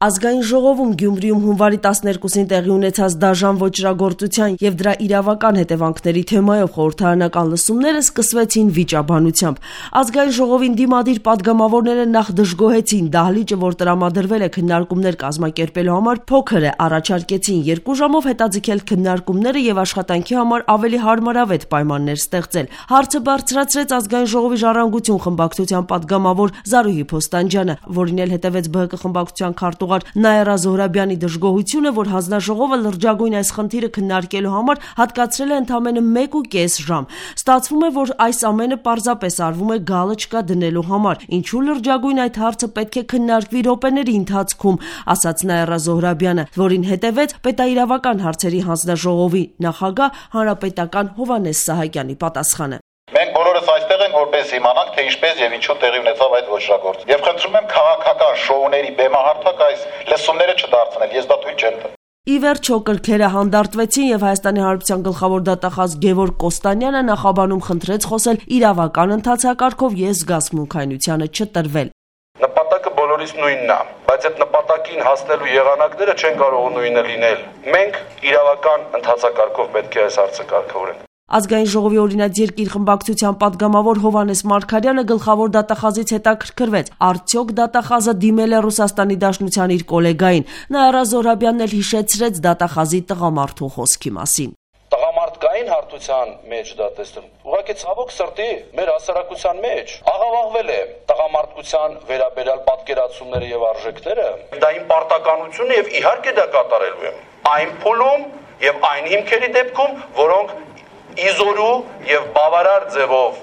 Ազգային ժողովում Գյումրիում հունվարի 12-ին տեղի ունեցած դաժան ոճրագործության եւ դրա իրավական հետևանքների թեմայով խորհրդարանական լսումները սկսվեցին վիճաբանությամբ։ Ազգային ժողովին դիմադիր պատգամավորները նախ դժգոհեցին դահլիճը, որ տրամադրվել է քննարկումներ կազմակերպելու համար, փոքր է, առաջարկեցին 2 ժամով հետաձգել քննարկումները եւ աշխատանքի համար ավելի հարմարավետ պայմաններ ստեղծել։ Հարցը բարձրացրեց Ազգային ժողովի ժառանգություն խմբակցության պատգամավոր Զարուհի Փոստանջյանը, որին էլ հետևեց ԲՀԿ խմբակցության քարտուղար Նաիրա Զոհրաբյանի դժգոհությունը, որ հանձնաժողովը լրջագույն այս խնդիրը քննարկելու համար հատկացրել է ընդամենը 1.5 ժամ։ Ստացվում է, որ այս ամենը պարզապես արվում է գալոչկա դնելու համար։ Ինչու լրջագույն այդ հարցը պետք է քննարկվի րոպեների ընթացքում, ասաց Նաիրա Զոհրաբյանը, որին հետևեց պետաիրավական հարցերի հանձնաժողովի նախագահ հանրապետական Հովհաննես Սահակյանի պատասխանը։ Մենք բոլորս այստեղ ենք, որպես իմանանք, թե ինչպես եւ ինչու տեղի ունեցավ այդ ոճրագործը։ Եվ խնդրում եմ քաղաքական շոուների բեմահարթակ այս լսումները չդարձնել, ես դա թույլ չեմ տա։ Ի վերջո կրքերը հանդարտվեցին եւ Հայաստանի Հանրապետության գլխավոր դատախազ Գևորգ Կոստանյանը նախաբանում խնդրեց խոսել իրավական ընթացակարգով եւ զգացմունքայնությանը չտրվել։ Նպատակը բոլորիս նույնն է, բայց այդ նպատակին հասնելու եղանակները չեն կարող նույնը լինել։ Մենք իրավական ընթացակարգով պետք է այս հարցը կարգավորենք։ Ազգային ժողովի օրինաց երկիր խմբակցության պատգամավոր Հովհաննես Մարգարյանը գլխավոր դատախազից հետաքրքրվեց, արդյոք դատախազը դիմել է Ռուսաստանի Դաշնության իր կոլեգային։ Նաիրա Զոհրաբյանն էլ հիշեցրեց դատախազի տղամարդու խոսքի մասին։ Տղամարդկային հարթության մեջ դա տեսնում։ Ուղղակի ցավոք սրտի մեր հասարակության մեջ աղավաղվել է տղամարդկության վերաբերյալ պատկերացումները եւ արժեքները։ Դա իմ պարտականությունը եւ իհարկե դա կատարելու եմ։ Այն փուլում եւ այն հիմքերի դեպքում, որոնք իզորու եւ բավարար ձևով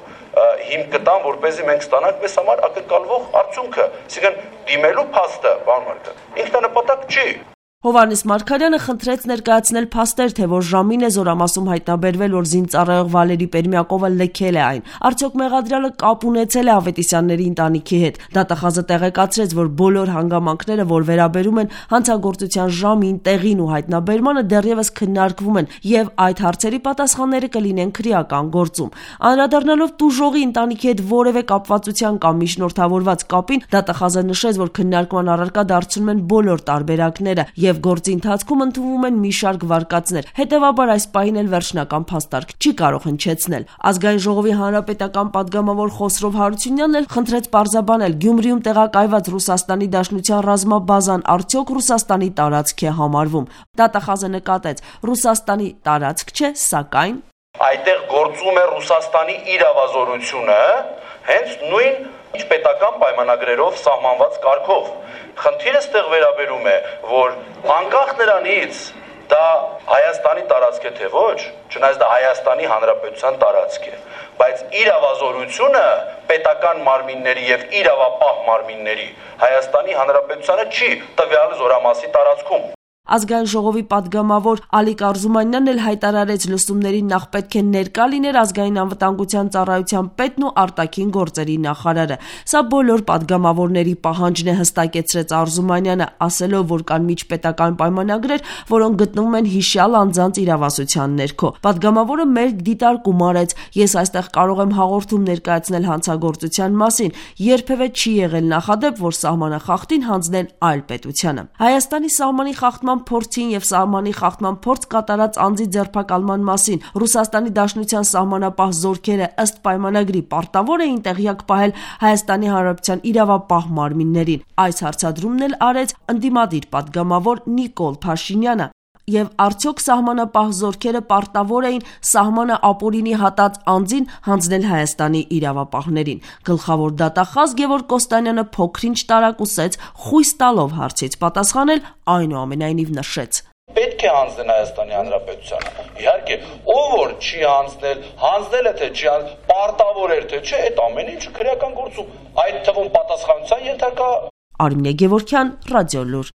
հիմք կտան, որպեսզի մենք ստանանք մեզ համար ակնկալվող արդյունքը, այսինքն դիմելու փաստը, պարոն Մարգարյան, ինքնանպատակ չի։ Հովհաննես Մարգարյանը խնդրեց ներկայացնել փաստեր, թե որ ժամին է Զորամասում հայտնաբերվել, որ զինծառայող Վալերի Պերմյակովը լքել է այն։ Արդյոք մեղադրյալը կապ ունեցել է Ավետիսյանների ընտանիքի հետ։ Դատախազը տեղեկացրեց, որ բոլոր հանգամանքները, որ վերաբերում են հանցագործության ժամին, տեղին ու հայտնաբերմանը, դեռևս քննարկվում են եւ այդ հարցերի պատասխանները կլինեն քրեական գործում։ Անդրադառնալով տուժողի ընտանիքի հետ որևէ կապվածության կամ միջնորդավորված կապին, դատախազը նշեց, որ քննարկման առարկա դարձնում են բոլոր տարբերակները եւ գործի ընթացքում ընդունվում են մի շարք վարկածներ։ Հետևաբար այս պահին էլ վերջնական փաստարկ չի կարող հնչեցնել։ Ազգային ժողովի հանրապետական պատգամավոր Խոսրով Հարությունյանն էլ խնդրեց պարզաբանել Գյումրիում տեղակայված Ռուսաստանի Դաշնության ռազմաբազան արդյոք Ռուսաստանի տարածք է համարվում։ Դատախազը նկատեց, Ռուսաստանի տարածք չէ, սակայն այդտեղ գործում է Ռուսաստանի իրավազորությունը, հենց նույն պետական պայմանագրերով սահմանված կարգով։ Խնդիրը ստեղ վերաբերում է, որ անկախ նրանից դա Հայաստանի տարածք է թե ոչ, չնայած դա Հայաստանի Հանրապետության տարածք է, բայց իրավազորությունը պետական մարմինների եւ իրավապահ մարմինների Հայաստանի Հանրապետությանը չի տվյալ զորամասի տարածքում։ Ազգային ժողովի պատգամավոր Ալիկ Արզումանյանն էլ հայտարարեց լսումներին նախ պետք է ներկա լիներ ազգային անվտանգության ծառայության պետն ու արտաքին գործերի նախարարը։ Սա բոլոր պատգամավորների պահանջն է, հստակեցրեց Արզումանյանը, ասելով, որ կան միջպետական պայմանագրեր, որոնք գտնվում են հիշյալ անձանց իրավասության ներքո։ Պատգամավորը մերկ դիտարկում արեց. ես այստեղ կարող եմ հաղորդում ներկայացնել հանցագործության մասին, երբևէ չի եղել նախադեպ, որ սահմանախախտին հանձնեն այլ պետությանը։ Հայաստանի սահմանի խախտման փորձին եւ սահմանի խախտման փորձ կատարած անձի ձերբակալման մասին Ռուսաստանի Դաշնության սահմանապահ զորքերը ըստ պայմանագրի պարտավոր էին տեղյակ պահել Հայաստանի Հանրապետության իրավապահ մարմիններին։ Այս հարցադրումն էլ արեց ընդդիմադիր պատգամավոր Նիկոլ Փաշինյանը։ Եվ արդյոք սահմանապահ զորքերը պարտավոր էին սահմանը ապօրինի հատած անձին հանձնել Հայաստանի իրավապահներին։ Գլխավոր դատախազ Գևորգ Կոստանյանը փոքրինչ տարակուսեց, խույս տալով հարցից պատասխանել, այնուամենայնիվ նշեց. Պետք է հանձնել Հայաստանի Հանրապետությանը։ Իհարկե, ով որ չի հանձնել է թե չի պարտավոր էր թե չէ, այդ ամեն ինչը քրեական գործում, այդ թվում պատասխանատվության ենթակա։ Արմինե Գևորգյան, Ռադիոլուր։